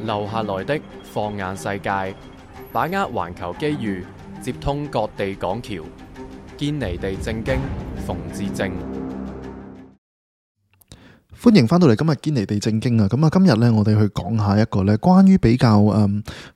留下來的放眼世界，把握環球機遇，接通各地港橋，堅尼地正經，馮智政。歡迎翻到嚟今日堅尼地正經啊！咁啊，今日咧我哋去講下一個咧關於比較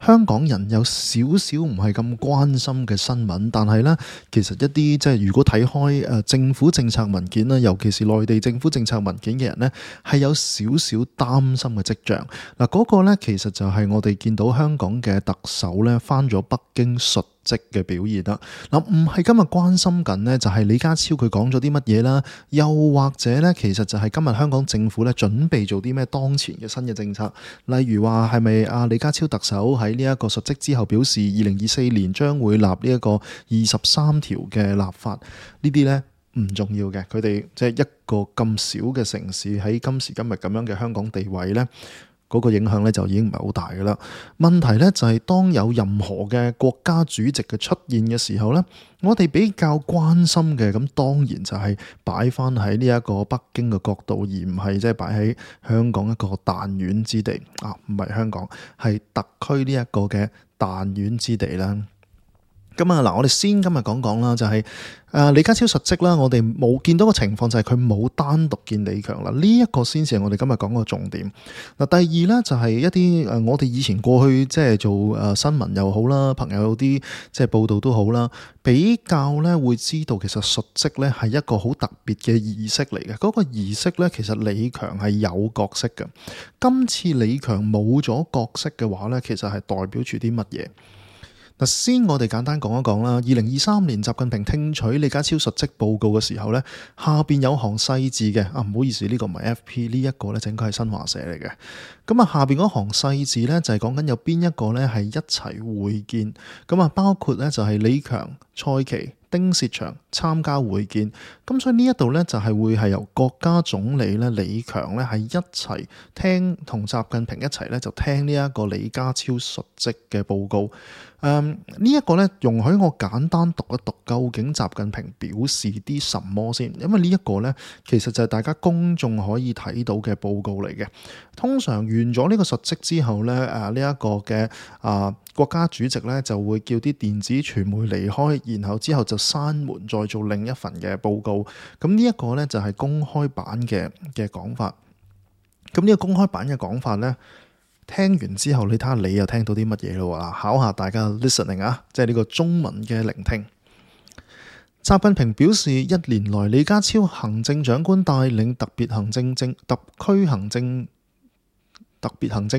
香港人有少少唔係咁關心嘅新聞，但係咧其實一啲即係如果睇開政府政策文件啦，尤其是內地政府政策文件嘅人咧，係有少少擔心嘅跡象。嗱，嗰個咧其實就係我哋見到香港嘅特首咧返咗北京述職嘅表現啦。嗱，唔係今日關心緊呢，就係李家超佢講咗啲乜嘢啦，又或者咧，其實就係今日香港政府咧準備做啲咩當前嘅新嘅政策，例如話係咪李家超特首喺呢一個述職之後表示2024年將會立呢一個23條嘅立法，呢啲咧唔重要嘅，佢哋即係一個咁小嘅城市喺今時今日咁樣嘅香港地位咧，嗰個影響咧就已經唔係好大㗎啦。問題咧就係當有任何嘅國家主席嘅出現嘅時候咧，我哋比較關心嘅咁當然就係擺翻喺呢一個北京嘅角度，而唔係即係擺喺香港一個彈丸之地啊，唔係香港，係特區呢一個嘅彈丸之地啦。咁啊嗱，我哋先今日講講啦，就係李家超述職啦，我哋冇見到個情況就係佢冇單獨見李強啦，呢一個先至係我哋今日講個重點。嗱，第二咧就係一啲我哋以前過去即係做新聞又好啦，朋友有啲即係報道都好啦，比較咧會知道其實述職咧係一個好特別嘅儀式嚟嘅。嗰個儀式咧其實李強係有角色嘅，今次李強冇咗角色嘅話咧，其實係代表住啲乜嘢？先我哋簡單講一講啦。2023年習近平聽取李家超述職報告嘅時候呢，下邊有行細字嘅唔好意思，呢個唔係 FP， 呢一個呢就應該係新華社嚟嘅。咁啊，下邊嗰行細字呢，就係講緊有邊一個呢係一齊會見，咁啊包括呢就係李強、蔡奇、丁薛祥參加會見。咁所以呢一度呢，就係會係由國家總理呢李強呢係一齊聽同習近平一齊呢就聽呢一個李家超述職嘅報告。呢一個呢，容許我簡單讀一讀究竟習近平表示啲什麼先，因為呢一個呢，其實就係大家公眾可以睇到嘅報告嚟嘅。通常完咗呢個述職之後呢，呢一個嘅國家主席呢就會叫啲電子傳媒離開，然後之後就閂門再做另一份嘅報告。咁呢一個呢，就係公開版嘅講法。咁呢個公開版嘅講法呢，聽完之後，你睇下你又聽到啲乜嘢咯？考下大家 listening 啊，即係呢個中文嘅聆聽。習近平表示，一年來李家超行政長官帶領特別行政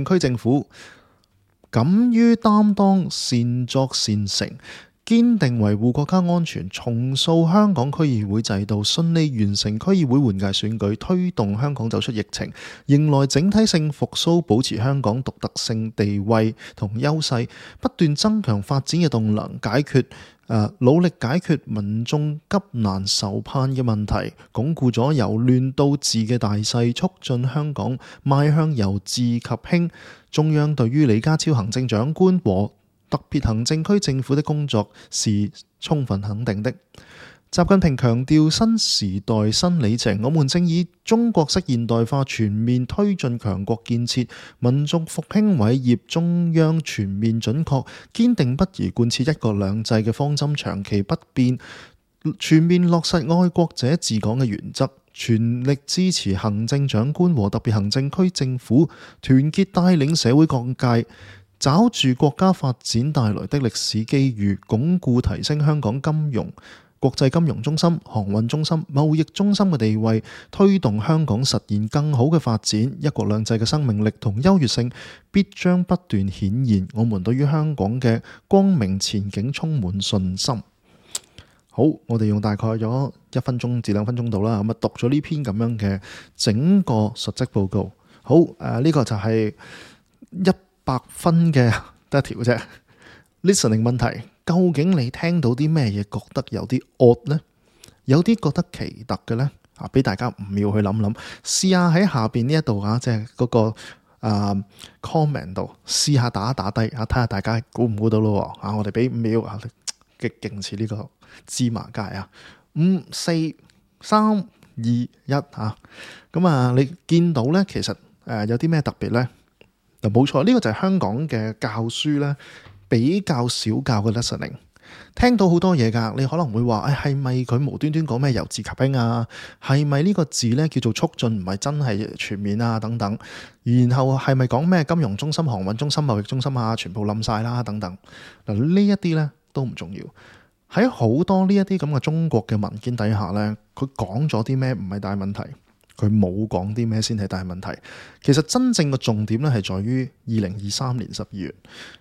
區政府敢於擔當、善作善成，堅定維護國家安全，重塑香港區議會制度，順利完成區議會換屆選舉，推動香港走出疫情，迎來整體性復甦，保持香港獨特性地位同優勢，不斷增強發展嘅動能，努力解決民眾急難愁盼嘅問題，鞏固咗由亂到治嘅大勢，促進香港邁向由治及興。中央對於李家超行政長官和特別行政區政府的工作是充分肯定的。習近平強調，新時代新里程，我們正以中國式現代化全面推進強國建設、民族復興偉業，中央全面準確、堅定不移貫徹一國兩制嘅方針，長期不變，全面落實愛國者治港嘅原則，全力支持行政長官和特別行政區政府團結帶領社會各界，抓住國家發展帶來的歷史機遇，鞏固提升香港國際金融中心、航運中心、貿易中心嘅地位，推動香港實現更好嘅發展。一國兩制嘅生命力同優越性必將不斷顯現。我們對於香港嘅光明前景充滿信心。好，我哋用大概咗1分鐘至2分鐘度啦，咁啊讀咗呢篇咁樣嘅整個述職報告。好，呢個就係100分嘅得一條啫。Listening 問題。究竟你聽到啲咩嘢覺得有啲 odd 呢？有啲覺得奇特嘅呢？俾大家5秒去諗諗，試下喺下邊呢一度即係嗰個comment 度試下打低睇下大家估唔估到咯。我哋俾5秒極勁似呢個芝麻街5、4、3、2、1咁你見到呢，其實有啲咩特別呢？嗱，冇錯，呢個就係香港嘅教書咧比較少教嘅 listening。聽到好多嘢㗎，你可能會話，係咪佢無端端講咩由治及興啊？係咪呢個字咧叫做促進，唔係真係全面啊？等等。然後係咪講咩金融中心、航運中心、貿易中心啊？全部冧晒啦，等等。嗱，呢一啲咧都唔重要。喺好多呢一啲咁嘅中國嘅文件底下咧，佢講咗啲咩唔係大問題。佢冇講啲咩先係大問題。其實真正嘅重點咧係在於2023年12月。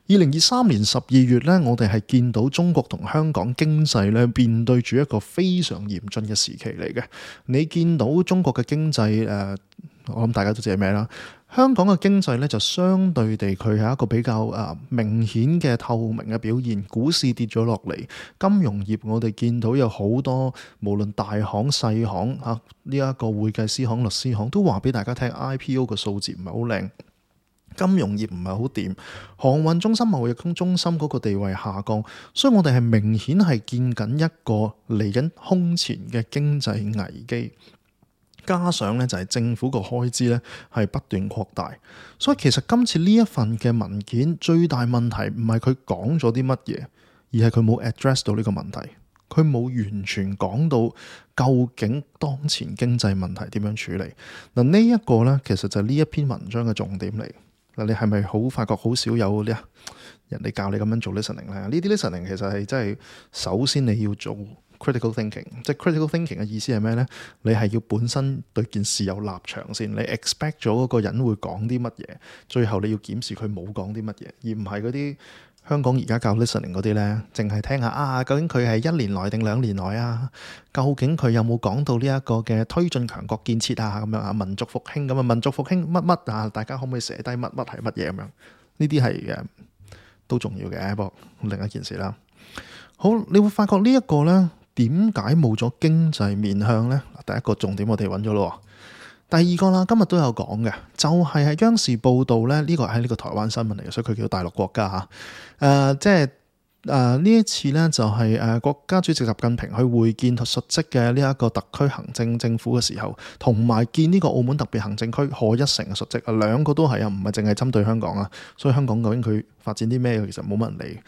2023年12月咧，我哋係見到中國同香港經濟咧面對住一個非常嚴峻嘅時期嚟嘅。你見到中國嘅經濟我諗大家都知係咩啦。香港嘅經濟咧就相對地佢係一個比較明顯嘅透明嘅表現，股市跌咗落嚟，金融業我哋見到有好多無論大行細行呢一個會計師行、律師行都話俾大家聽 IPO 嘅數字唔係好靚，金融業唔係好掂，航運中心、貿易中心嗰個地位下降，所以我哋係明顯係見緊一個嚟緊空前嘅經濟危機。加上咧就係政府個開支咧係不斷擴大，所以其實今次呢一份嘅文件最大問題唔係佢講咗啲乜嘢，而係佢冇 address 到呢個問題，佢冇完全講到究竟當前經濟問題點樣處理。嗱，呢一個咧其實就係呢一篇文章嘅重點嚟。嗱，你係咪好發覺好少有呢人哋教你咁樣做 listening 咧？呢啲 listening 其實係真係首先你要做critical thinking， 即係 critical thinking 嘅意思係咩呢？你係要本身對件事有立場先，你 expect 咗嗰個人會講啲乜嘢，最後你要檢視佢冇講啲乜嘢，而唔係嗰啲香港而家教 listening 嗰啲呢，淨係聽下究竟佢係1年內定2年內啊？究竟佢有冇講到呢一個嘅推進強國建設啊？咁樣啊，民族復興咁啊，民族復興乜乜啊？大家可唔可以寫低乜乜係乜嘢咁樣？呢啲係都重要嘅，不過另一件事啦。好，你會發覺呢一個呢。點解冇咗經濟面向呢？第一個重點我哋揾咗咯。第二個啦，今日都有講嘅，就係喺央視報道呢，呢個係呢個台灣新聞嚟嘅，所以佢叫大陸國家嚇。即係呢一次呢，就係國家主席習近平去會見述職嘅呢一個特區行政政府嘅時候，同埋見呢個澳門特別行政區賀一誠嘅述職啊，兩個都係啊，唔係淨係針對香港啊。所以香港究竟佢發展啲咩，其實冇乜人理。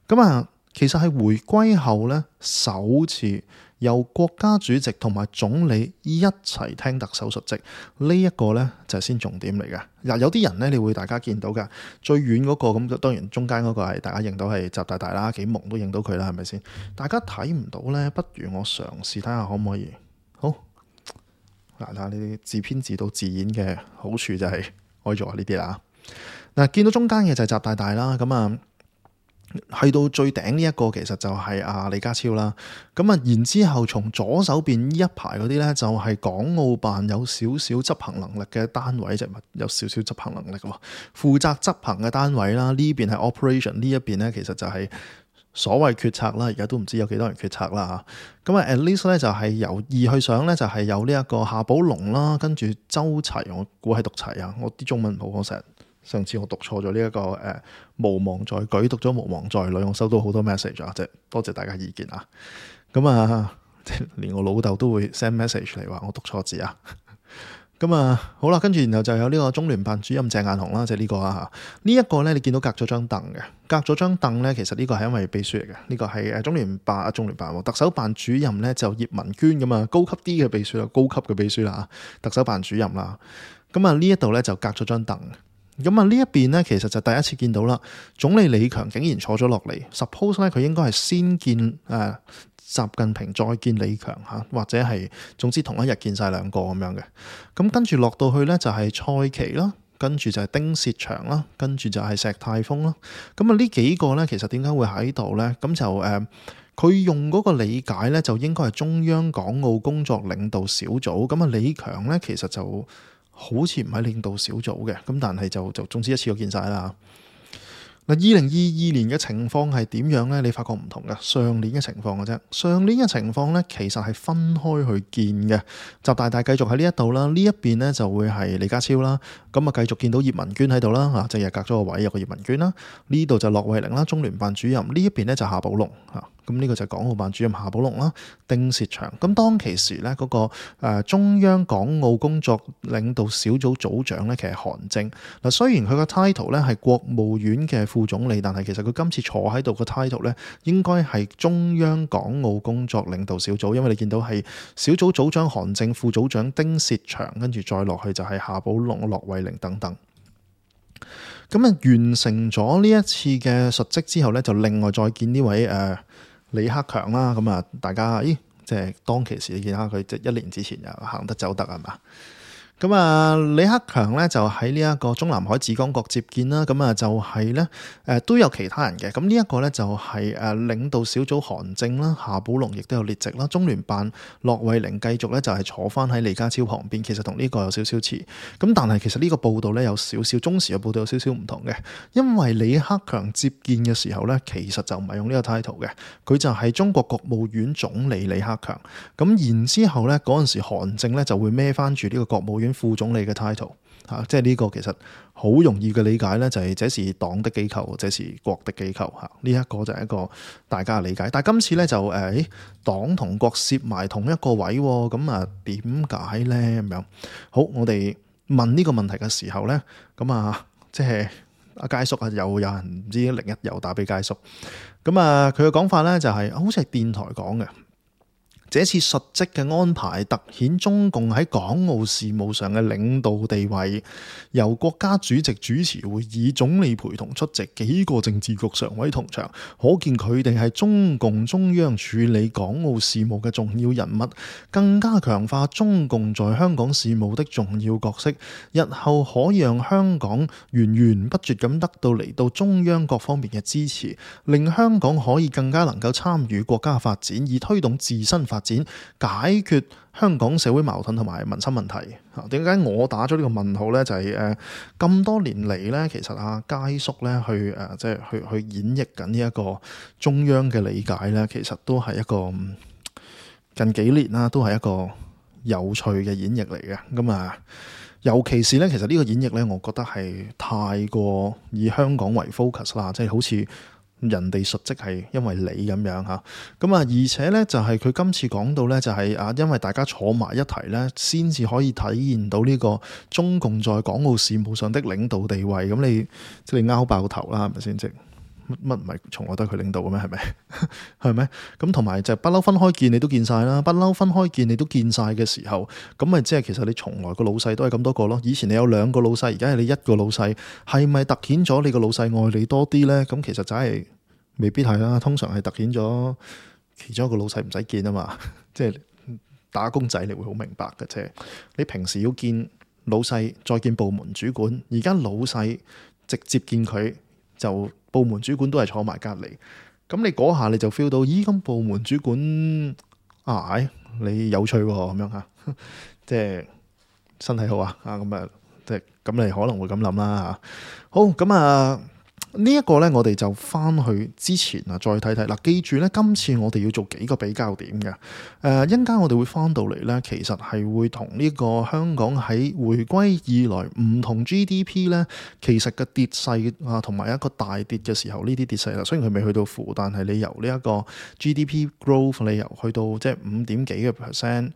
咁其實係回歸後咧，首次由國家主席同埋總理一齊聽特首述職，呢一個咧就係先重點嚟嘅。嗱，有啲人咧，你會大家見到㗎，最遠嗰個咁，當然中間嗰個係大家認到係習大大啦，幾蒙都認到佢啦，係咪先？大家睇唔到咧，不如我嘗試睇下可唔可以。好，嗱，睇下呢啲自編自導自演嘅好處就係可以做下呢啲啦。嗱，見到中間嘅就係習大大啦，咁去到最頂呢一個其實就係李家超啦，然之後從左手邊呢一排嗰啲咧就係港澳辦有少少執行能力嘅單位，有少少執行能力喎，負責執行嘅單位啦，呢邊係 operation， 呢一邊咧其實就係所謂決策啦，而家都唔知有幾多人決策啦嚇。at least 咧就係由二去上咧就係有呢一個夏寶龍啦，跟住周齊，我估係讀齊啊，我啲中文唔好，上次我讀錯咗呢一個無望在舉，讀咗無望在裏，我收到好多 message 啊，即係多謝大家意見啊。連我老豆都會 send message 嚟話我讀錯字啊。好啦，跟住然後就有呢個中聯辦主任鄭雁雄啦，即係呢個啊。呢一個咧，你見到隔咗張凳嘅，隔咗張凳咧，其實呢個係因為秘書嚟嘅，呢個係中聯辦特首辦主任咧就葉文娟咁啊，高級啲嘅秘書啦，高級嘅秘書啦，特首辦主任啦。呢一度咧就隔咗張凳。呢一邊咧，其實就第一次見到啦。總理李強竟然坐咗落嚟 ，suppose 咧佢應該係先見習近平，再見李強嚇，或者係總之同一日見晒兩個咁樣嘅。跟住落到去咧就係蔡奇啦，跟住就係丁薛祥啦，跟住就係石泰峰啦。呢幾個咧其實點解會喺度咧？咁就佢用嗰個理解咧，就應該係中央港澳工作領導小組。李強咧其實就好似唔係領導小組嘅，但係就總之一次過見晒啦。2022年嘅情況係點樣呢？你發覺唔同嘅，上年嘅情況嘅啫。上年嘅情況呢，其實係分開去見嘅。習大大繼續喺呢一度啦，呢一邊呢就會係李家超啦。咁啊繼續見到葉文娟喺度啦，啊即係隔咗個位有個葉文娟啦，呢度就駱惠寧啦，中聯辦主任，呢一邊咧就夏寶龍嚇。咁呢個就係港澳辦主任夏寶龍啦，丁薛祥。咁當其時咧，嗰個中央港澳工作領導小組組長咧，其實係韓正。嗱，雖然佢個 title 咧係國務院嘅副總理，但係其實佢今次坐喺度個 title 咧，應該係中央港澳工作領導小組，因為你見到係小組組長韓正、副組長丁薛祥，跟住再落去就係夏寶龍、駱惠寧等等。咁啊，完成咗呢一次嘅述職之後咧，就另外再見呢位李克強啦，咁啊，大家即係當其時你見下佢即係1年之前又行得走得係嘛？咁啊，李克強咧就喺呢一個中南海紫光閣接見啦，咁啊就係咧都有其他人嘅，咁呢一個咧就係領導小組韓正啦、夏寶龍亦都有列席啦，中聯辦駱惠寧繼續咧就係坐翻喺李家超旁邊，其實同呢個有少少似，咁但係其實呢個報道咧有少少中時嘅報道有少少唔同嘅，因為李克強接見嘅時候咧其實就唔係用呢個 title 嘅，佢就係中國國務院總理李克強，咁然之後咧嗰陣時韓正咧就會孭翻住呢個國務院副總理嘅 title 嚇，即係呢個其實好容易嘅理解咧，就係這是黨的機構，這是國的機構嚇，呢一個就係一個大家嘅理解。但係今次咧就黨同國攝埋同一個位，咁啊點解咧咁樣？好，我哋問呢個問題嘅時候咧，咁啊即係阿佳叔啊，又有人唔知另一又打俾佳叔，咁啊佢嘅講法咧就係好似係電台講嘅。這次述職嘅安排凸顯中共喺港澳事務上嘅領導地位，由國家主席主持會議，總理陪同出席，幾個政治局常委同場，可見佢哋係中共中央處理港澳事務嘅重要人物，更加強化中共在香港事務的重要角色，日後可以讓香港源源不絕咁得到嚟到中央各方面嘅支持，令香港可以更加能夠參與國家發展，以推動自身發展，解決香港社會矛盾同埋民生問題。點解我打咗呢個問號呢？就係咁多年嚟呢，其實阿佳叔呢去即係去演繹緊呢一個中央嘅理解呢，其實都係一個近幾年啦，都係一個有趣嘅演繹嚟嘅。咁啊，尤其是呢，其實呢個演繹呢，我覺得係太過以香港為 focus 啦，即係好似人哋述職係因為你咁樣嚇，咁啊而且咧就係佢今次講到咧就係因為大家坐埋一齊咧，先至可以體現到呢個中共在港澳事務上的領導地位。咁你即係你拗爆頭啦，係咪先？即乜唔係從來都係佢領導嘅咩？係咪？係咪？咁同埋就不嬲分開見你都見晒啦，不嬲分開見你都見晒嘅時候，咁咪即係其實你從來個老細都係咁多個咯。以前你有2個老細，而家係你1個老細，係咪突顯咗你個老細愛你多啲咧？咁其實就係未必係啦，通常係突顯咗其中一個老細唔使見啊嘛。即係打工仔你會好明白嘅啫。你平時要見老細，再見部門主管，而家老細直接見佢，就部門主管都係坐埋隔離。咁你嗰下你就 feel 到，咦？咁部門主管你有趣喎，咁樣嚇，即係身體好啊，咁啊，即係咁你可能會咁諗啦嚇。好，咁啊。呢一個呢，我哋就翻去之前啊，再睇睇嗱。記住呢，今次我哋要做幾個比較點嘅。一陣間我哋會翻到嚟呢，其實係會同呢個香港喺回歸以來唔同 GDP 呢，其實嘅跌勢啊，同埋一個大跌嘅時候，呢啲跌勢啦，雖然佢未去到負，但係你由呢一個 GDP growth 你由去到即係5點幾嘅 percent。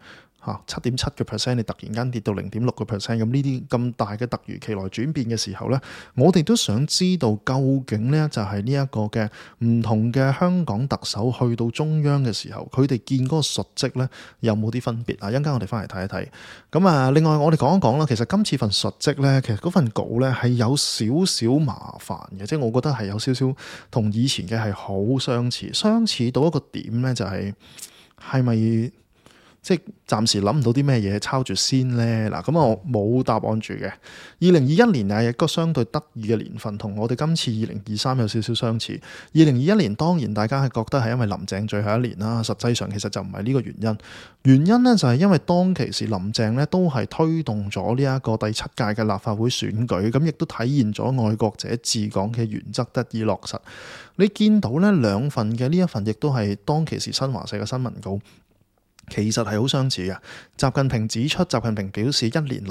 7.7%，你突然間跌到0.6%，咁呢啲咁大嘅突如其來轉變嘅時候呢，我哋都想知道究竟呢就係呢一個嘅唔同嘅香港特首去到中央嘅時候，佢哋見嗰個述職呢有冇啲分別啊？一陣間我哋翻嚟睇一睇。咁啊，另外我哋講一講啦，其實今次份述職呢，其實嗰份稿呢係有少少麻煩嘅，即係我覺得係有少少同以前嘅係好相似，相似到一個點呢，就係咪？即係暫時諗唔到啲咩嘢抄住先呢？嗱，咁我冇答案住嘅。2021年係一個相對得意嘅年份，同我哋今次2023有少少相似。2021年當然大家係覺得係因為林鄭最後一年啦，實際上其實就唔係呢個原因。原因呢就係因為當其時林鄭呢都係推動咗呢一個第7屆嘅立法會選舉，咁亦都體現咗愛國者治港嘅原則得以落實。你見到呢兩份嘅呢一份亦都係當其時新華社嘅新聞稿。其實係好相似嘅。習近平指出，習近平表示，一年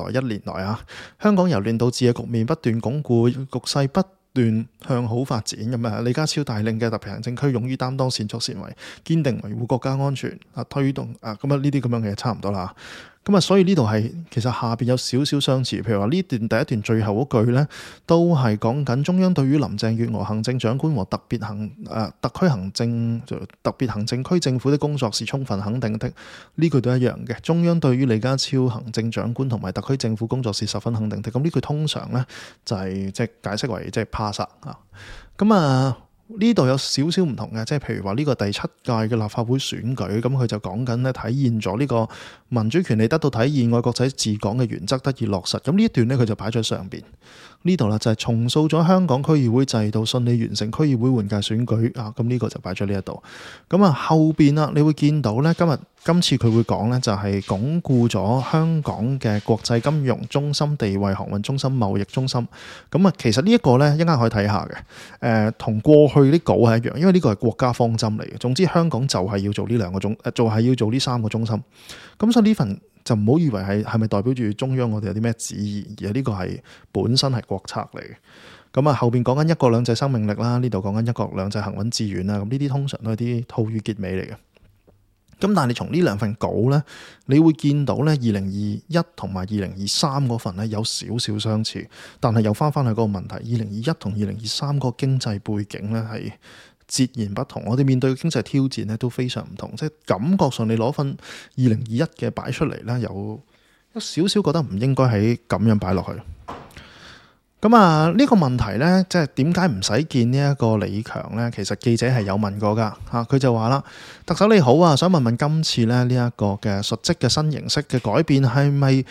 來啊，香港由亂到治嘅局面不斷鞏固，局勢不斷向好發展咁啊。李家超帶領嘅特別行政區勇於擔當、善作善為，堅定維護國家安全啊，推動啊咁啊呢啲咁樣嘅嘢差唔多啦。咁啊，所以呢度係其實下邊有少少相似，譬如話呢段第一段最後嗰句呢，都係講緊中央對於林鄭月娥行政長官和特別行政區政府的工作是充分肯定的，呢句都一樣嘅。中央對於李家超行政長官同埋特區政府工作是十分肯定的。咁呢句通常呢，就係即係解釋為即係 pass 啊。咁啊。呢度有少少唔同嘅，即係譬如話呢個第7屆嘅立法會選舉，咁佢就講緊咧體現咗呢個民主權利得到體現、愛國者治港嘅原則得以落實。咁呢一段呢，佢就擺咗上邊呢度啦，就係重塑咗香港區議會制度，順利完成區議會換屆選舉啊。咁呢個就擺咗呢一度。咁啊後邊啦，你會見到呢，今次佢會講呢，就係鞏固咗香港嘅國際金融中心地位、航運中心、貿易中心。咁啊，其實呢一個呢，一陣可以睇下嘅。同過去啲稿係一樣，因為呢個係國家方針嚟嘅。總之香港就係要做呢要做呢3個中心。咁所以呢份就唔好以為係咪代表住中央我哋有啲咩旨意，而係呢個係本身係國策嚟嘅。咁啊後邊講緊一國兩制生命力啦，呢度講緊一國兩制行穩致遠啦。咁呢啲通常都係啲套語結尾嚟嘅。咁但係你從呢2份稿呢，你會見到呢2021同埋2023嗰份呢有少少相似，但係又翻去嗰個問題，2021同2023個經濟背景呢係截然不同，我哋面對嘅經濟挑戰呢都非常唔同，即係感覺上你攞份2021嘅擺出嚟呢，有少少覺得唔應該喺咁樣擺落去。咁啊，呢個問題呢，即係點解唔使見呢一個李強呢？其實記者係有問過噶嚇，佢就話啦：特首你好啊，想問問今次呢一個嘅述職嘅新形式嘅改變係咪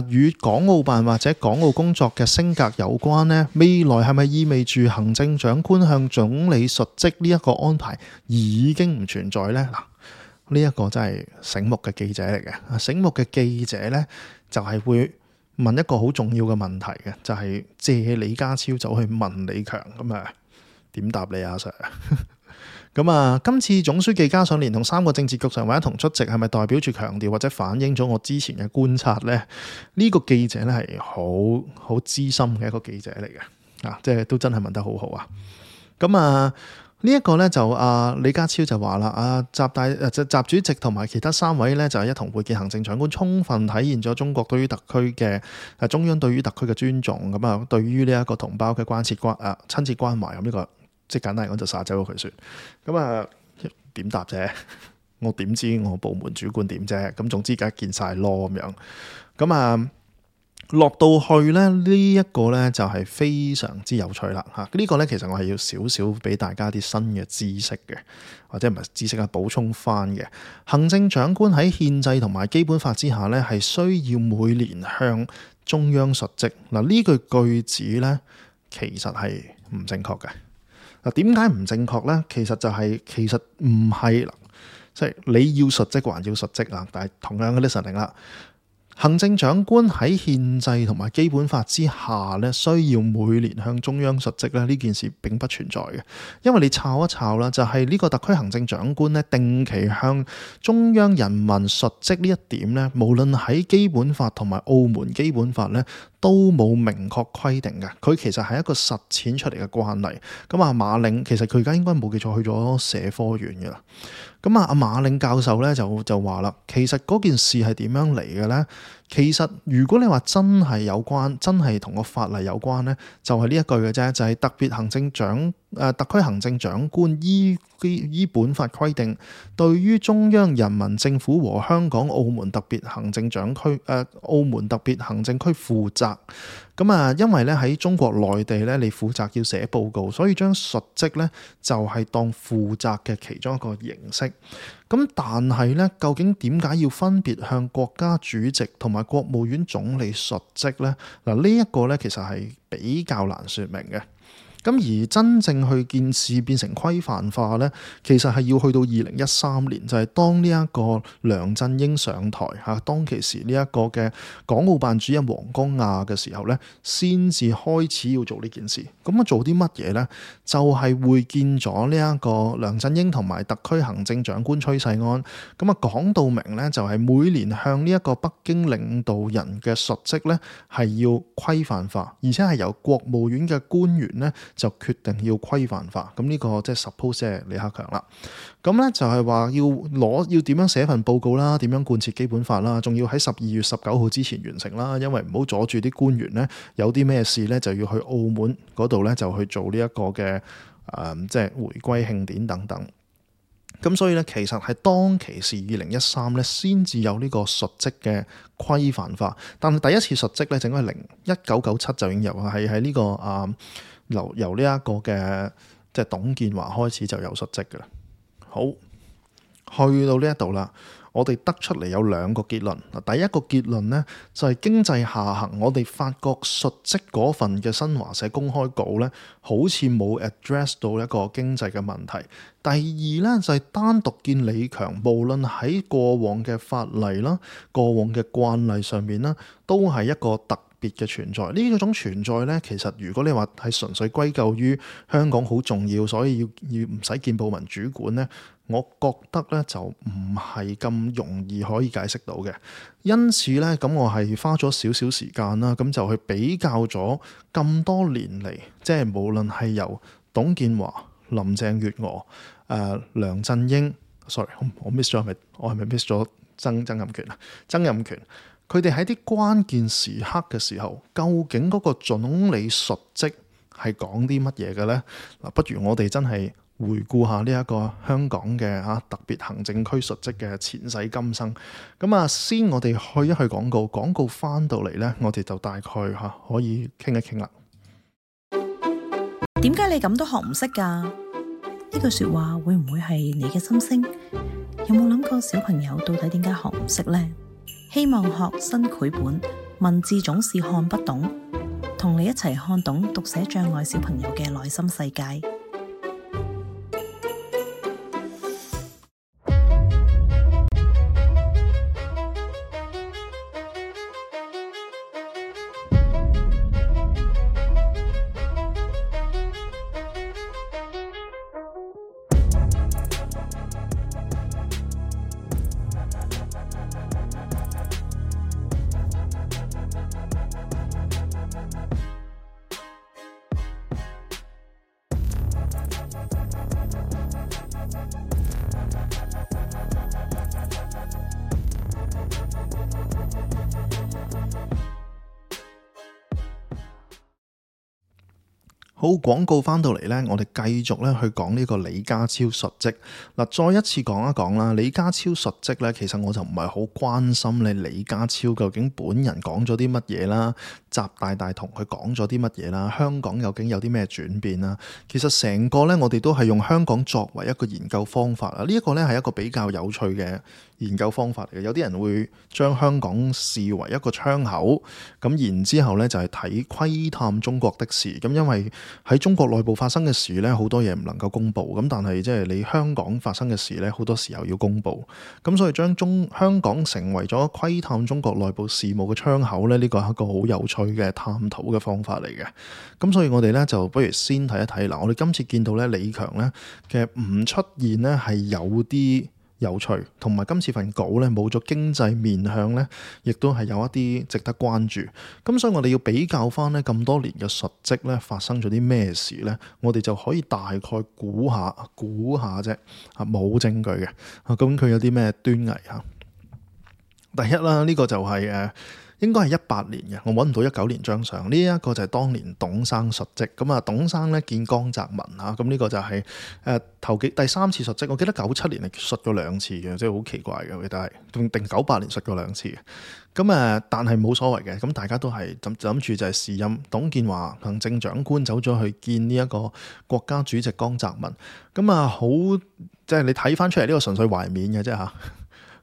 與港澳辦或者港澳工作嘅升格有關呢？未來係咪意味住行政長官向總理述職呢一個安排已經唔存在呢？嗱，呢一個真係醒目嘅記者嚟嘅，醒目嘅記者呢，就係會問一個好重要嘅問題嘅，就係借李家超走去問李強，咁啊點答你啊 Sir？ 咁啊，今次總書記加上連同3個政治局常委一同出席，係咪代表住強調或者反映咗我之前嘅觀察呢？呢個記者咧係好資深嘅一個記者嚟嘅，即係都真係問得好好啊！咁啊〜呢一個咧就李家超就話啦，習主席同埋其他3位咧就一同會見行政長官，充分體現咗中國對於特區嘅中央對於特區嘅尊重，咁啊對於呢一個同胞嘅親切關懷，咁呢個即係簡單嚟講就撒走咗佢算。咁啊點答啫？我點知我部門主管點啫？咁總之而家見晒咯咁樣。咁啊落到去咧，呢一個咧就係非常之有趣啦嚇！呢個咧其實我係要少少俾大家啲新嘅知識嘅，或者唔係知識啊，補充翻嘅。行政長官喺憲制同埋基本法之下咧，係需要每年向中央述職。嗱，呢句子咧其實係唔正確嘅。嗱，點解唔正確咧？其實唔係，即係你要述職還要述職啊！但係同樣嘅 listening 啦。行政長官喺憲制同埋基本法之下咧，需要每年向中央述職咧，呢件事並不存在嘅。因為你抄一抄啦，就係呢個特區行政長官咧，定期向中央人民述職呢一點咧，無論喺基本法同埋澳門基本法咧，都冇明確規定嘅。佢其實係一個實踐出嚟嘅慣例。咁啊，馬嶺其實佢而家應該冇記錯去咗社科院嘅啦。咁啊，阿馬嶺教授咧就話啦，其實嗰件事係點樣嚟嘅咧？其實如果你話真係有關，真係同個法例有關咧，就係呢一句嘅啫，就係特區行政長官依本法規定，對於中央人民政府和香港、澳門特別行政區負責。咁啊，因為咧喺中國內地咧，你負責要寫報告，所以將述職咧就係當負責嘅其中一個形式。咁但係咧，究竟點解要分別向國家主席同埋國務院總理述職咧？嗱，呢一個咧其實係比較難說明嘅。咁咁而真正去件事變成規範化呢，其實係要去到2013年，就係當呢一個梁振英上台嚇，當其時呢一個嘅港澳辦主任黃光亞嘅時候呢，先至開始要做呢件事。咁做啲乜嘢呢？就係會見咗呢一個梁振英同埋特區行政長官崔世安。咁講到明呢，就係每年向呢一個北京領導人嘅述職呢，係要規範化，而且係由國務院嘅官員呢就決定要規範化。咁呢個即係 suppose 係李克強啦。咁呢就係話要點樣寫份報告啦，點樣貫徹基本法啦，仲要喺12月19號之前完成啦，因為唔好阻住啲官員呢，有啲咩事呢就要去澳門嗰度呢，就去做呢一個嘅即係回歸慶典等等。咁所以咧，其實係當其時2013咧，先至有呢個述職嘅規範化。但係第一次述職咧，整係1997就已經有，係喺呢個由呢一個嘅即係董建華開始就有述職嘅啦。好，去到呢一度啦，我哋得出嚟有兩個結論。第一個結論呢，就係經濟下行，我哋發覺述職嗰份嘅新華社公開稿呢，好似冇 address 到一個經濟嘅問題。第二呢，就係單獨見李強，無論喺過往嘅法例啦、過往嘅慣例上面啦，都係一個特別嘅存在。呢種存在呢，其實如果你話係純粹歸咎於香港好重要，所以要唔使見報文主管呢，我覺得呢就唔係咁容易可以解釋到嘅。因此呢，咁我係花咗少少時間啦，咁就去比較咗咁多年嚟，即係無論係由董建華、林鄭月娥、梁振英 ，sorry， 我 miss 咗我係咪 miss 咗曾蔭權啊？曾蔭權，佢哋喺啲關鍵時刻嘅時候，究竟嗰個總理述職係講啲乜嘢嘅呢？嗱，不如我哋真係回顧下呢一個香港嘅特別行政區述職嘅前世今生。咁先我哋去一去廣告，廣告翻到嚟呢，我哋就大概可以傾一傾啦。點解你咁都學唔識㗎？呢句說話會唔會係你嘅心聲？有冇諗過小朋友到底點解學唔識呢？希望學新繪本，文字總是看不懂，同你一齊看懂讀寫障礙小朋友嘅內心世界。好，廣告翻到嚟呢，我哋繼續咧去講呢個李家超述職。嗱，再一次講一講啦，李家超述職呢，其實我就唔係好關心你李家超究竟本人講咗啲乜嘢啦，習大大同佢講咗啲乜嘢啦，香港究竟有啲咩轉變啦。其實成個呢，我哋都係用香港作為一個研究方法啊。呢一個呢係一個比較有趣嘅研究方法嚟嘅。有啲人會將香港視為一個窗口，咁然之後呢，就係睇窺探中國的事。咁因為喺中國內部發生嘅事呢，好多嘢唔能夠公佈，咁但係即係你香港發生嘅事呢，好多時候要公佈，咁所以將香港成為咗窺探中國內部事務嘅窗口呢，呢個係一個好有趣嘅探討嘅方法嚟嘅。咁所以我哋呢，就不如先睇一睇嗱，我哋今次見到呢，李強呢嘅唔出現呢係有啲有趣，同埋今次份稿咧冇咗經濟面向咧，亦都係有一啲值得關注。咁所以我哋要比較翻咧咁多年嘅述職咧發生咗啲咩事咧，我哋就可以大概估下啫，冇證據嘅。咁佢有啲咩端倪啊？第一啦，呢個就係應該係18年嘅，我揾唔到19年張相。呢一個就係當年董生述職，咁董生咧見江澤民嚇，咁呢個就係第3次述職。我記得97年係述過2次嘅，即係好奇怪嘅，我記得係定98年述過2次嘅。咁但係冇所謂嘅，咁大家都係諗住就係時任董建華行政長官走咗去見呢一個國家主席江澤民，咁好即係你睇翻出嚟呢個純粹懷緬嘅啫嚇。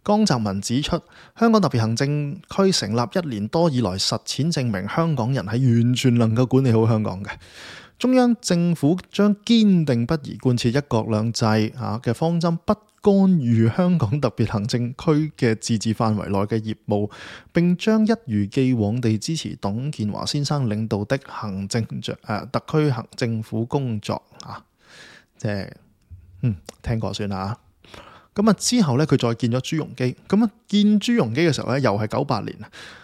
江澤民指出，香港特別行政區成立1年多以來，實踐證明香港人係完全能夠管理好香港嘅。中央政府將堅定不移貫徹一國兩制嘅方針，不干預香港特別行政區嘅自治範圍內嘅業務，並將一如既往地支持董建華先生領導的特區政府工作即係聽過算啦。咁之後咧，佢再見咗朱鎔基。咁見朱鎔基嘅時候咧，又係98年。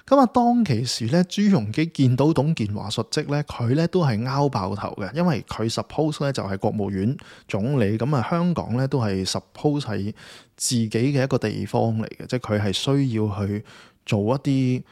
咁當其時咧，朱鎔基見到董建華述職咧，佢咧都係拗爆頭嘅，因為佢 suppose 咧就係國務院總理。咁香港咧都係 suppose 係自己嘅一個地方嚟嘅，即係佢係需要去做一啲。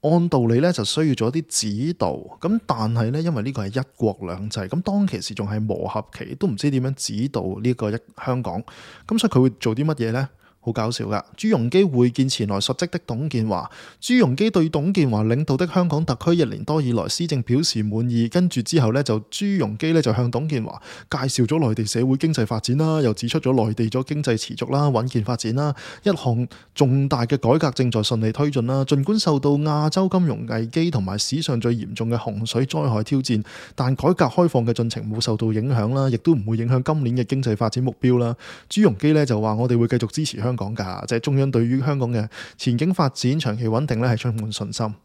按道理咧就需要做一啲指導，咁但係咧因為呢個係一國兩制，咁當其時仲係磨合期，都唔知點樣指導呢個香港，咁所以佢會做啲乜嘢呢？好搞笑噶！朱鎔基會見前來述職的董建華，朱鎔基對董建華領導的香港特區1年多以來施政表示滿意，跟住之後咧就朱鎔基咧就向董建華介紹咗內地社會經濟發展啦，又指出咗內地咗經濟持續啦、穩健發展啦，一項重大嘅改革正在順利推進啦。儘管受到亞洲金融危機同埋史上最嚴重嘅洪水災害挑戰，但改革開放嘅進程冇受到影響啦，亦都唔會影響今年嘅經濟發展目標啦。朱鎔基咧就話：我哋會繼續支持香港㗎，即係中央對於香港嘅前景發展長期穩定咧係充滿信心。呢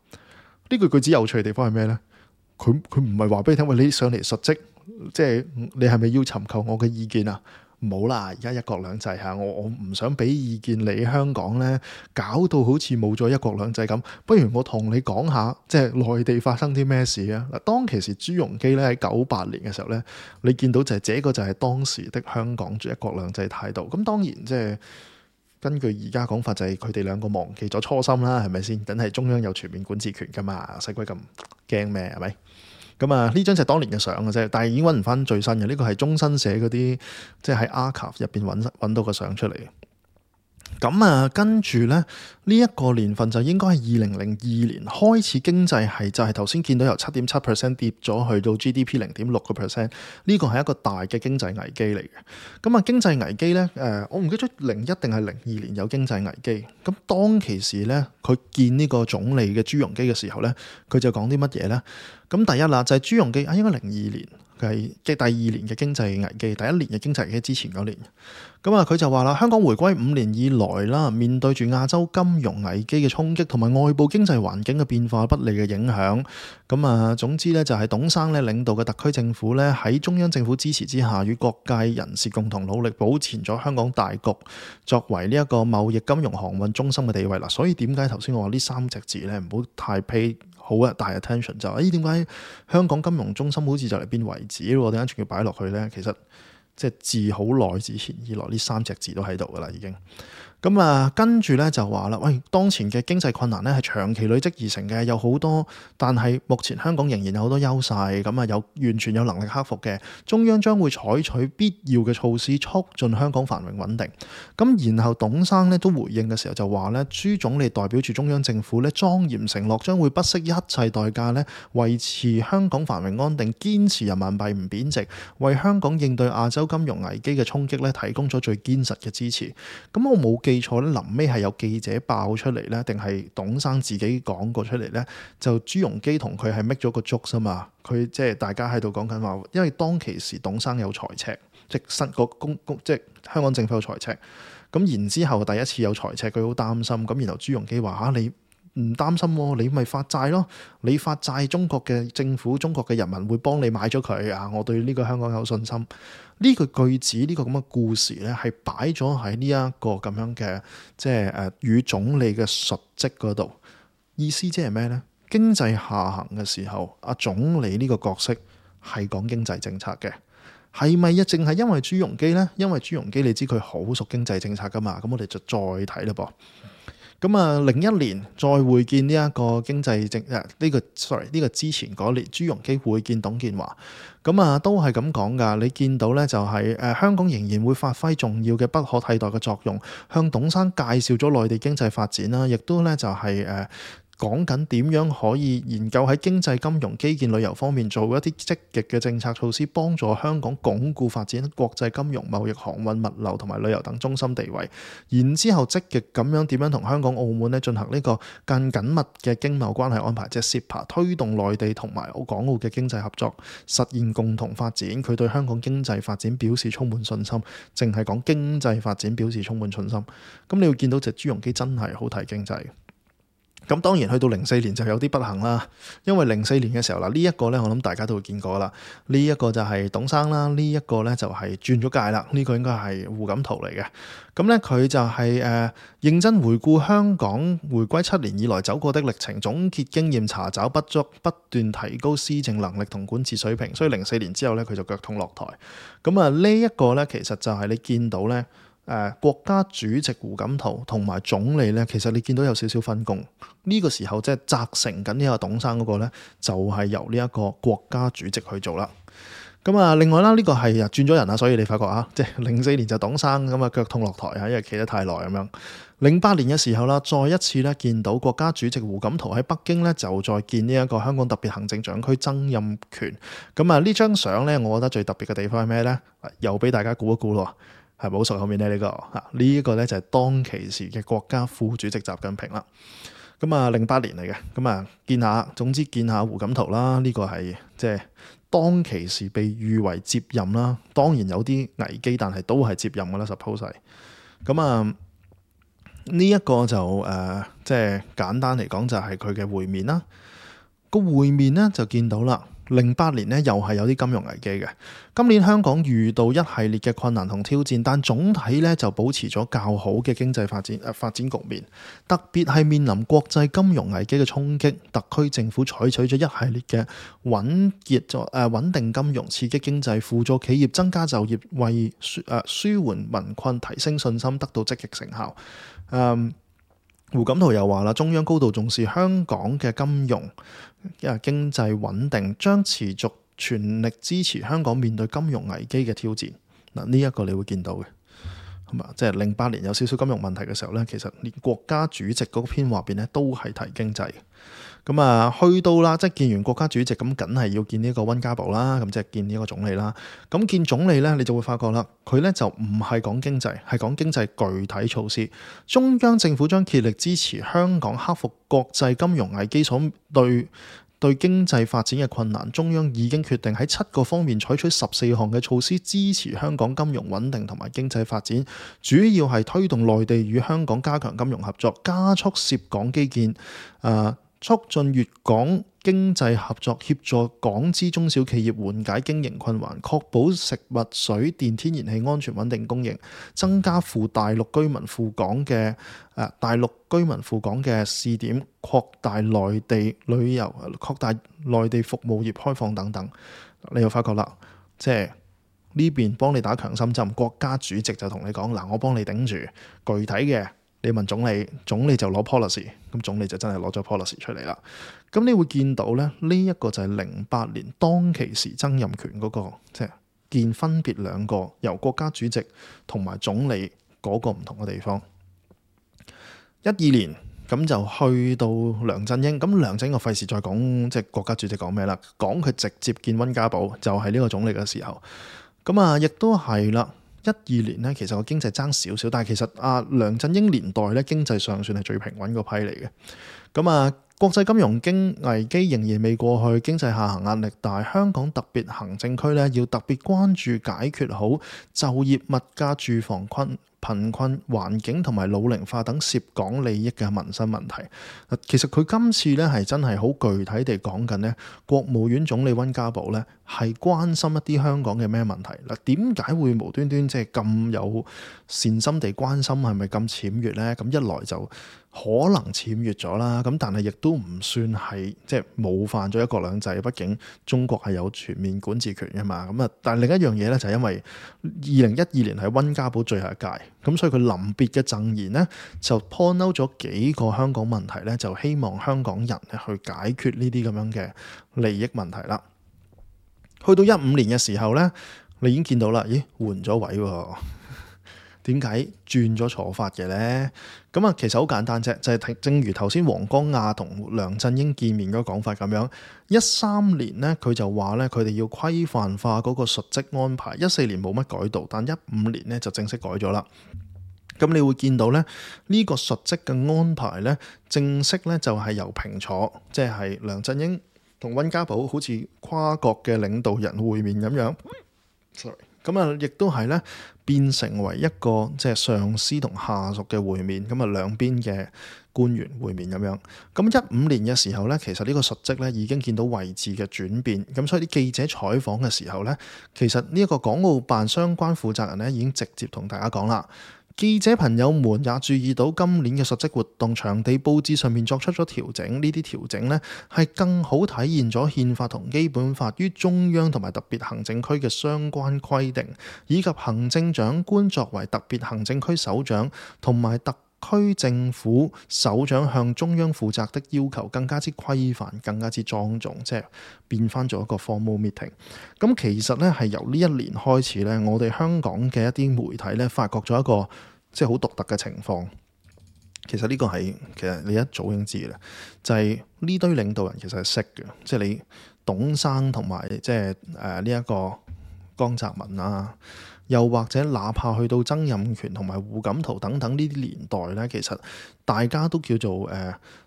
句句子有趣嘅地方係咩呢？佢唔係話俾你聽，喂，你上嚟述職，即係你係咪要尋求我嘅意見啊？唔好啦，而家一國兩制嚇，我唔想俾意見你香港呢，搞到好似冇咗一國兩制咁。不如我同你講下，即係內地發生啲咩事啊？嗱，當其時朱鎔基咧喺98年嘅時候呢，你見到就係這個就係當時的香港住一國兩制態度。咁當然即係。根據而家講法就係佢哋兩個忘記咗初心啦，係咪先？梗係中央有全面管治權噶嘛，使鬼咁驚咩？係咪？咁呢張就係當年嘅相嘅啫，但係已經揾唔翻最新嘅。呢個係中新社嗰啲，即係喺 archive 入邊揾到個相出嚟。咁跟住咧，呢一個年份就應該係2002年開始，經濟係就係頭先見到由7.7% 跌咗去到 GDP 0.6%，呢個係一個大嘅經濟危機嚟嘅。咁經濟危機咧，我唔記得01定係02年有經濟危機。咁當其時咧，佢見呢個總理嘅朱鎔基嘅時候咧，佢就講啲乜嘢咧？咁第一啦，就係朱鎔基應該02年。係即係第2年嘅經濟危機，第1年嘅經濟危機之前嗰年。咁佢就話啦，香港回歸5年以來啦，面對住亞洲金融危機嘅衝擊同埋外部經濟環境嘅變化不利嘅影響。咁總之咧就係董生咧領導嘅特區政府咧喺中央政府支持之下，與各界人士共同努力，保存咗香港大局作為呢一個貿易金融航運中心嘅地位啦。所以點解頭先我話呢3隻字咧唔好太 pay好大 attention， 就點解香港金融中心好似就嚟變遺址咯？點解仲要擺落去呢？其實即係自好耐之前以來呢3隻字都喺度噶啦，已經。咁跟住咧就話啦，喂，當前嘅經濟困難咧係長期累積而成嘅，有好多，但係目前香港仍然有好多優勢，咁有完全有能力克服嘅。中央將會採取必要嘅措施，促進香港繁榮穩定。咁然後董生咧都回應嘅時候就話咧，朱總理代表住中央政府咧莊嚴承諾，將會不惜一切代價咧維持香港繁榮安定，堅持人民幣唔貶值，為香港應對亞洲金融危機嘅衝擊咧提供咗最堅實嘅支持。咁我冇記錯咧，臨尾係有記者爆出嚟咧，定係董生自己講過出嚟咧？就朱鎔基同佢係 make 咗個 joke 啊嘛，佢即係大家喺度講緊話，因為當其時董生有財赤，即係香港政府有財赤，咁然之後第一次有財赤，佢好擔心，咁然後朱鎔基話你唔擔心喎，你咪發債咯，你發債，中國嘅政府、中國嘅人民會幫你買咗佢啊！我對呢個香港有信心。呢個句子，呢個咁嘅故事咧，係擺咗喺呢一個咁樣嘅即係與總理嘅述職嗰度。意思即係咩呢？經濟下行嘅時候，阿總理呢個角色係講經濟政策嘅，係咪淨係因為朱鎔基呢？因為朱鎔基你知佢好熟經濟政策噶嘛，咁我哋就再睇啦噃。咁01年再會見呢一個經濟政呢個之前嗰年朱鎔基會見董建華，咁都係咁講噶。你見到咧就係香港仍然會發揮重要嘅不可替代嘅作用，向董生介紹咗內地經濟發展啦，亦都咧就係講緊點樣可以研究喺經濟、金融、基建、旅遊方面做一啲積極嘅政策措施，幫助香港鞏固發展國際金融、貿易、航運、物流同埋旅遊等中心地位。然之後積極咁樣點樣同香港、澳門咧進行呢個更緊密嘅經貿關係安排，即係 CEPA，推動內地同埋港澳嘅經濟合作，實現共同發展。佢對香港經濟發展表示充滿信心，淨係講經濟發展表示充滿信心。咁你會見到隻朱鎔基真係好睇經濟。咁當然去到04年就有啲不幸啦，因為04年嘅時候嗱，呢一個咧我諗大家都會見過啦，呢一個就係董生啦，呢一個咧就係轉咗界啦，呢個應該係胡錦濤嚟嘅。咁咧佢就係認真回顧香港回歸7年以來走過的歷程，總結經驗，查找不足，不斷提高施政能力同管治水平。所以04年之後咧佢就腳痛落台。咁呢一個咧其實就係你見到咧。國家主席胡錦濤同埋總理咧，其實你見到有少少分工。呢個時候即係責成緊呢個董生嗰個咧，就係由呢一個國家主席去做啦。咁另外啦，呢個係轉咗人啦，所以你發覺即係04年就董生咁腳痛落台因為企得太耐咁樣。08年嘅時候啦，再一次咧見到國家主席胡錦濤喺北京咧就再見呢一個香港特別行政長區曾蔭權。呢張相咧，我覺得最特別嘅地方係咩咧？又俾大家估一估咯。係咪好熟後面咧？呢呢一個咧就係當其時嘅國家副主席習近平啦。08年嚟嘅，見下胡錦濤啦。呢個係即係當其時被譽為接任啦。當然有啲危機，但係都係接任噶啦。suppose 係呢一個就即係簡單嚟講就係佢嘅會面啦。個會面咧就見到啦。08年咧又係有啲金融危機嘅。今年香港遇到一系列嘅困難同挑戰，但總體咧就保持咗較好嘅經濟發展局面。特別係面臨國際金融危機嘅衝擊，特區政府採取咗一系列嘅穩定金融、刺激經濟、輔助企業、增加就業，為舒緩民困、提升信心，得到積極成效。胡錦濤又話啦，中央高度重視香港嘅金融經濟穩定，將持續全力支持香港面對金融危機嘅挑戰。呢一個你會見到嘅，即係08年有少少金融問題嘅時候咧，其實連國家主席嗰篇話邊咧都係提經濟。去到啦，即係見完國家主席咁，梗係要見呢個溫家寶啦，咁即係見呢個總理啦。咁見總理咧，你就會發覺啦，佢咧就唔係講經濟，係講經濟具體措施。中央政府將竭力支持香港克服國際金融危機所對經濟發展嘅困難。中央已經決定喺7個方面採取14項嘅措施，支持香港金融穩定同埋經濟發展。主要係推動內地與香港加強金融合作，加速涉港基建，促進粵港經濟合作，協助港資中小企業緩解經營困難，確保食物、水電、天然氣安全穩定供應，增加赴大陸居民赴港嘅試點，擴大內地旅遊、擴大內地服務業開放等等。你又發覺啦，即係呢邊幫你打強心針，國家主席就同你講嗱，我幫你頂住，具體嘅。你問總理，總理就攞 policy， 咁總理就真係攞咗 policy 出嚟啦。咁你會見到咧，呢一個就係08年當其時曾蔭權嗰個，即係見分別兩個由國家主席同埋總理嗰個唔同嘅地方。12年咁就去到梁振英，咁梁振英我費事再講即係國家主席講咩啦，講佢直接見溫家寶就係呢個總理嘅時候。亦都係啦。12年咧，其實個經濟爭少少，但係其實梁振英年代咧經濟上算係最平穩個批嚟嘅。國際金融危機仍然未過去，經濟下行壓力大，香港特別行政區咧要特別關注解決好就業、物價、住房貧困、環境同埋老齡化等涉港利益嘅民生問題。其實佢今次咧係真係好具體地講緊咧，國務院總理溫家寶咧係關心一啲香港嘅咩問題。點解會無端端即係咁有善心地關心？係咪咁僭越咧？咁一來就可能僭越咗啦，咁但係亦都唔算係即係冒犯咗一國兩制，畢竟中國係有全面管治權嘅嘛。但係另一樣嘢咧就係因為2012年係溫家寶最後一屆，咁所以佢臨別嘅贈言咧就 point out 咗幾個香港問題咧，就希望香港人咧去解決呢啲咁樣嘅利益問題啦。去到15年嘅時候咧，你已經見到啦，咦，換咗位喎。點解轉咗坐法嘅呢？咁啊，其實好簡單啫，就係正如頭先黃光亞同梁振英見面嗰個講法咁樣。13年呢，佢就話呢，佢哋要規範化嗰個述職安排。14年冇乜改到，但15年呢就正式改咗啦。咁你會見到咧，呢個述職嘅安排咧，正式咧就係由平坐，即係梁振英同溫家寶好似跨國嘅領導人會面咁樣。咁啊，亦都係咧變成為一個即係上司同下屬嘅會面，咁啊兩邊嘅官員會面咁樣。咁15年嘅時候咧，其實呢個述職咧已經見到位置嘅轉變，咁所以啲記者採訪嘅時候咧，其實呢一個港澳辦相關負責人咧已經直接同大家講啦。記者朋友們也注意到今年嘅述職活動場地佈置上面作出咗調整，呢啲調整呢係更好體現咗憲法同基本法於中央同埋特別行政區嘅相關規定，以及行政長官作為特別行政區首長同埋特區政府首長向中央負責的要求更加之規範，更加之莊重，即係變翻咗一個 formal meeting。咁其實咧係由呢一年開始咧，我哋香港嘅一啲媒體咧發覺咗一個即係好獨特嘅情況。其實呢個係其實你一早已經知嘅啦，就係呢堆領導人其實係識嘅，即係你董生同埋即係呢一個江澤民啊。又或者哪怕去到曾蔭權同埋胡錦濤等等呢啲年代咧，其實大家都叫做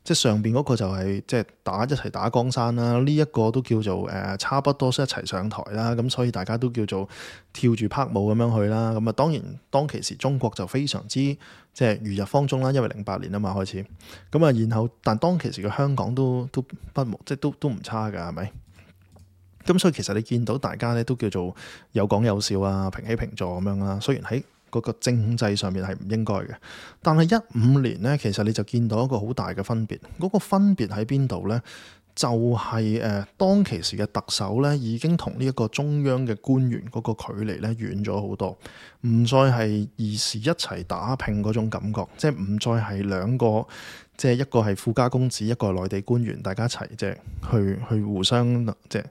即係上邊嗰個就係即係一齊打江山啦，呢一個都叫做差不多一齊上台啦，咁所以大家都叫做跳住拍舞咁樣去啦。咁啊，當然當其時中國就非常之即係如日方中啦，因為08年啊嘛開始。咁啊，然後但當其時嘅香港都不無即係都唔差㗎，係咪？咁所以其實你見到大家咧都叫做有講有笑啊，平起平坐咁樣啦。雖然喺嗰個政制上面係唔應該嘅，但係15年咧，其實你就見到一個好大嘅分別。嗰個分別喺邊度咧？就係當其時嘅特首咧，已經同呢一個中央嘅官員嗰個距離咧遠咗好多，唔再係兒時一齊打拼嗰種感覺，即係唔再係兩個，即係一個係富家公子，一個係內地官員，大家一齊即係去互相即係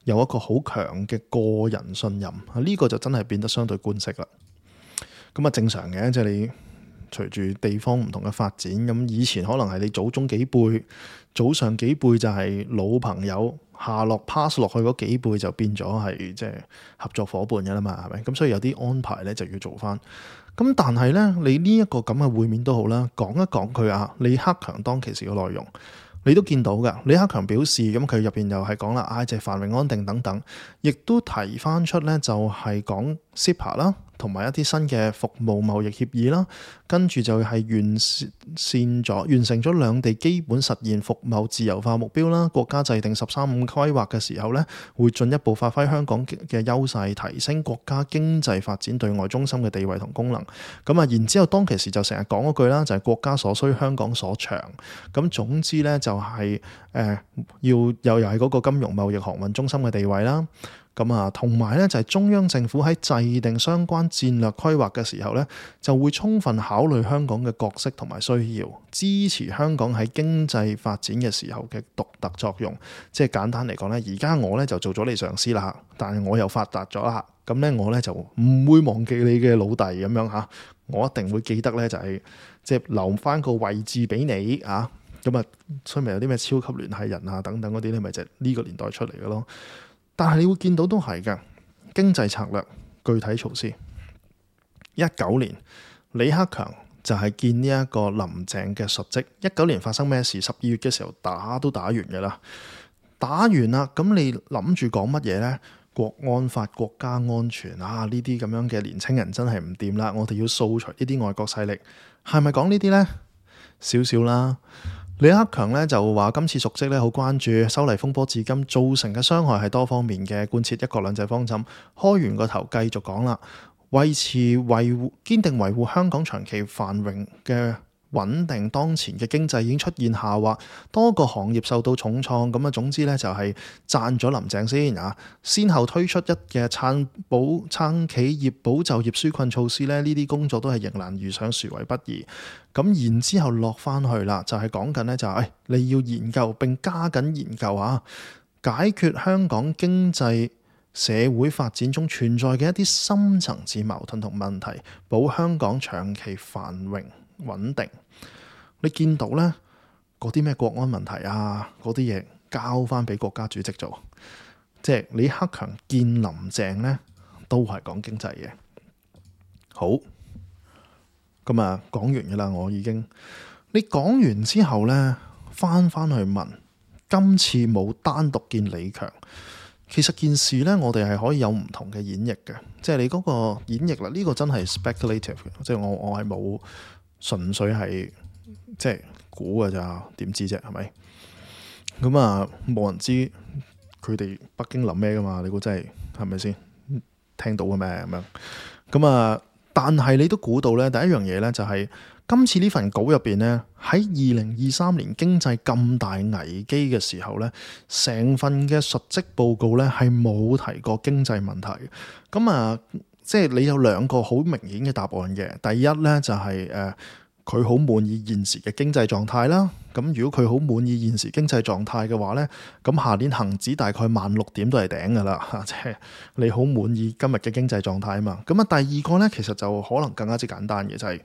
有一個好強嘅個人信任。呢個就真係變得相對官式啦。咁啊正常嘅，即係你隨住地方唔同嘅發展，咁以前可能係你祖宗幾輩、祖上幾輩就係老朋友，下落 pass 落去嗰幾輩就變咗係即係合作伙伴嘅啦嘛，係咪？咁所以有啲安排咧就要做翻。咁但係咧，你呢一個咁嘅會面都好啦，講一講佢啊，李克強當其時嘅內容，你都見到㗎。李克強表示，咁佢入邊又係講啦，就係繁榮安定等等，亦都提翻出咧就係講 CEPA 啦。同埋一啲新嘅服務貿易協議啦，跟住就係完成咗兩地基本實現服貿自由化目標啦。國家制定13-5規劃嘅時候咧，會進一步發揮香港嘅優勢，提升國家經濟發展對外中心嘅地位同功能。咁啊，然之後當其時就成日講嗰句啦，就係國家所需，香港所長。咁總之咧就係又係嗰個金融貿易航運中心嘅地位啦。咁啊，同埋咧就係中央政府喺制定相關戰略規劃嘅時候咧，就會充分考慮香港嘅角色同埋需要，支持香港喺經濟發展嘅時候嘅獨特作用。即係簡單嚟講咧，而家我咧就做咗你上司啦，但係我又發達咗啦，咁咧我咧就唔會忘記你嘅老弟咁樣嚇，我一定會記得咧就係即係留翻個位置俾你啊。咁啊，所以咪有啲咩超級聯繫人啊等等嗰啲咧，咪就係呢個年代出嚟嘅咯。但係你會見到都係嘅，經濟策略具體措施。19年李克強就係見呢一個林鄭嘅述職。19年發生咩事？12月嘅時候都打完嘅啦，打完啦，咁你諗住講乜嘢呢？國安法、國家安全啊，呢啲咁樣嘅年青人真係唔掂啦，我哋要掃除呢啲外國勢力，係咪講呢啲呢？少少啦。李克強咧就話今次述職咧好關注修例風波至今造成嘅傷害係多方面嘅，貫徹一國兩制方針。開完個頭繼續講啦，堅定維護香港長期繁榮嘅穩定。當前嘅經濟已經出現下滑，多個行業受到重創。咁啊，總之咧就係讚咗林鄭先啊，先後推出嘅撐企業、保就業紓困措施咧，呢啲工作都係迎難而上，殊為不易。咁然之後落翻去啦，就係講緊咧就係你要研究並加緊研究啊，解決香港經濟社會發展中存在嘅一啲深層次矛盾同問題，保香港長期繁榮穩定。你見到呢嗰啲咩國安問題啊，嗰啲嘢交翻俾國家主席做，即係李克強見林鄭呢都係講經濟嘅。好，咁啊講完㗎啦，我已經。你講完之後呢，翻去問，今次冇單獨見李強，其實件事呢，我哋係可以有唔同嘅演繹嘅，即係你嗰個演繹啦，呢個真係 speculative 嘅，即係我係冇純粹係即係估㗎咋，點知啫，係咪？咁啊，冇人知佢哋北京諗咩噶嘛？你估真係咪先聽到嘅咩咁樣？咁啊，但係你都估到呢，第一樣嘢呢，就係今次呢份稿入邊呢，喺2023年經濟咁大危機嘅時候呢，成份嘅述職報告呢係冇提過經濟問題。咁啊，即係你有兩個好明顯嘅答案嘅。第一呢，就係佢好滿意現時嘅經濟狀態啦。咁如果佢好滿意現時經濟狀態嘅話呢，咁下年恒指大概16,000點都係頂噶啦。即係你好滿意今日嘅經濟狀態啊嘛。咁啊，第二個呢，其實就可能更加之簡單嘅，就係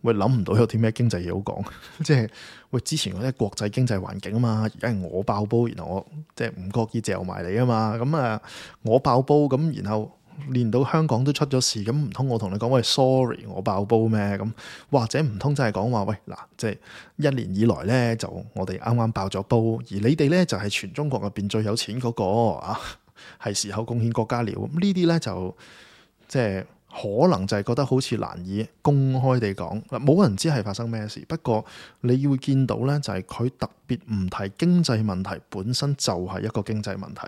喂，諗唔到有啲咩經濟嘢好講。即係喂，之前嗰啲國際經濟環境啊嘛，而家係我爆煲，然後我即係唔覺意嚼埋你啊嘛。咁啊，我爆煲咁，然後連到香港都出咗事，咁唔通我同你講喂 sorry 我爆煲咩？咁或者唔通真係講話喂嗱，即係1年以來呢，就我哋啱啱爆咗煲，而你哋呢，就係全中國入邊最有錢嗰個啊，係時候貢獻國家了。咁呢啲呢，就即係可能就係覺得好似難以公開地講，冇人知係發生咩事。不過你會見到呢，就係佢特別唔提經濟問題本身就係一個經濟問題。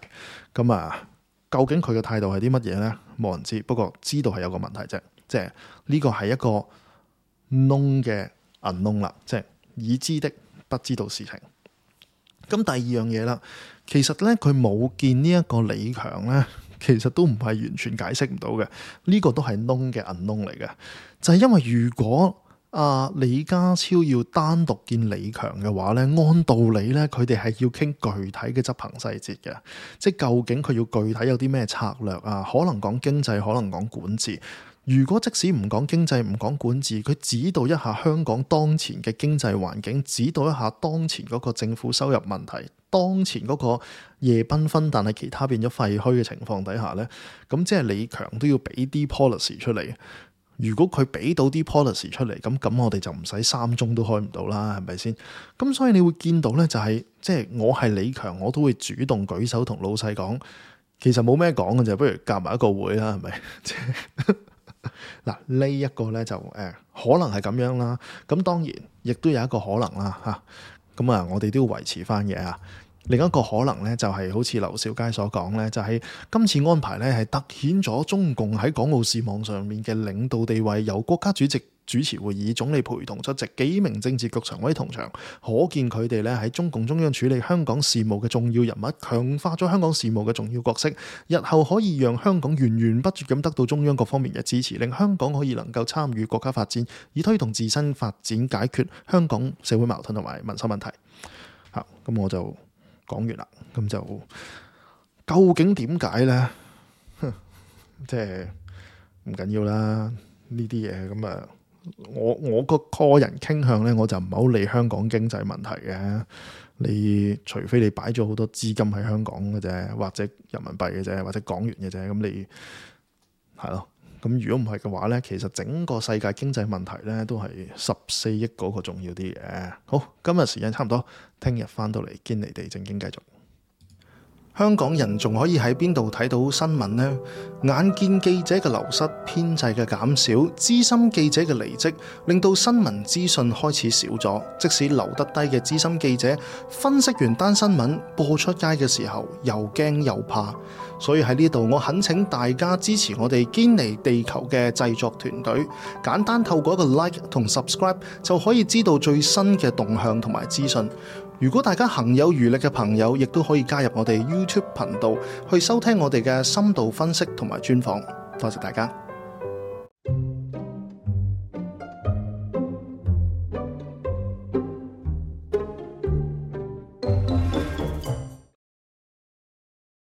咁啊，究竟佢嘅態度係啲乜嘢呢？冇人知。不過知道係有個問題啫，即係呢個係一個 known 嘅 unknown 啦，即係已知的不知道事情。咁第二樣嘢啦，其實呢，佢冇見呢一個李強呢，其實都唔係完全解釋唔到嘅。呢個都係 known 嘅 unknown 嚟嘅，就係因為如果李家超要單獨見李強嘅話呢，按道理呢，佢哋係要傾具體嘅執行細節嘅，即係究竟佢要具體有啲咩策略啊？可能講經濟，可能講管治。如果即使唔講經濟，唔講管治，佢指導一下香港當前嘅經濟環境，指導一下當前嗰個政府收入問題，當前嗰個夜繽紛但係其他變咗廢墟嘅情況底下呢，咁即係李強都要俾啲 policy 出嚟。如果佢俾到啲 policy 出嚟，咁我哋就唔使3中都開唔到啦，係咪先？咁所以你會見到呢，就係即係我係李強，我都會主動舉手同老細講，其實冇咩講嘅就不如夾埋一個會啦，係咪？嗱，呢一個呢，就可能係咁樣啦。咁當然亦都有一個可能啦嚇。咁啊，我哋都要維持翻嘅啊。另一個可能呢，就係好似劉兆佳所講呢，就係今次安排呢，係突顯咗中共喺港澳事務上面嘅領導地位，由國家主席主持會議，總理陪同出席，幾名政治局常委同場，可見佢哋咧喺中共中央處理香港事務嘅重要人物，強化咗香港事務嘅重要角色，日後可以讓香港源源不絕咁得到中央各方面嘅支持，令香港可以能夠參與國家發展，以推動自身發展，解決香港社會矛盾同埋民生問題。咁我就講完啦。咁就究竟點解呢？即係唔緊要啦，呢啲嘢咁啊。我個人傾向呢，我就唔係好理香港經濟問題嘅。你除非你擺咗好多資金喺香港嘅啫，或者人民幣嘅啫，或者港元嘅啫，咁你係咯。咁如果唔係嘅話呢，其實整個世界經濟問題呢，都係14億嗰個重要啲嘅。好，今日時間差唔多，聽日翻到嚟堅尼地正經繼續。香港人仲可以喺邊度睇到新聞呢？眼見記者嘅流失、編制嘅減少、資深記者嘅離職，令到新聞資訊開始少咗。即使留得低嘅資深記者，分析完單新聞播出街嘅時候，又驚又怕。所以喺呢度，我懇請大家支持我哋堅尼地球嘅製作團隊，簡單透過一個 like 同 subscribe 就可以知道最新嘅動向同埋資訊。如果大家行有餘力嘅朋友，亦都可以加入我哋 YouTube 頻道去收聽我哋嘅深度分析同埋專訪。多謝大家。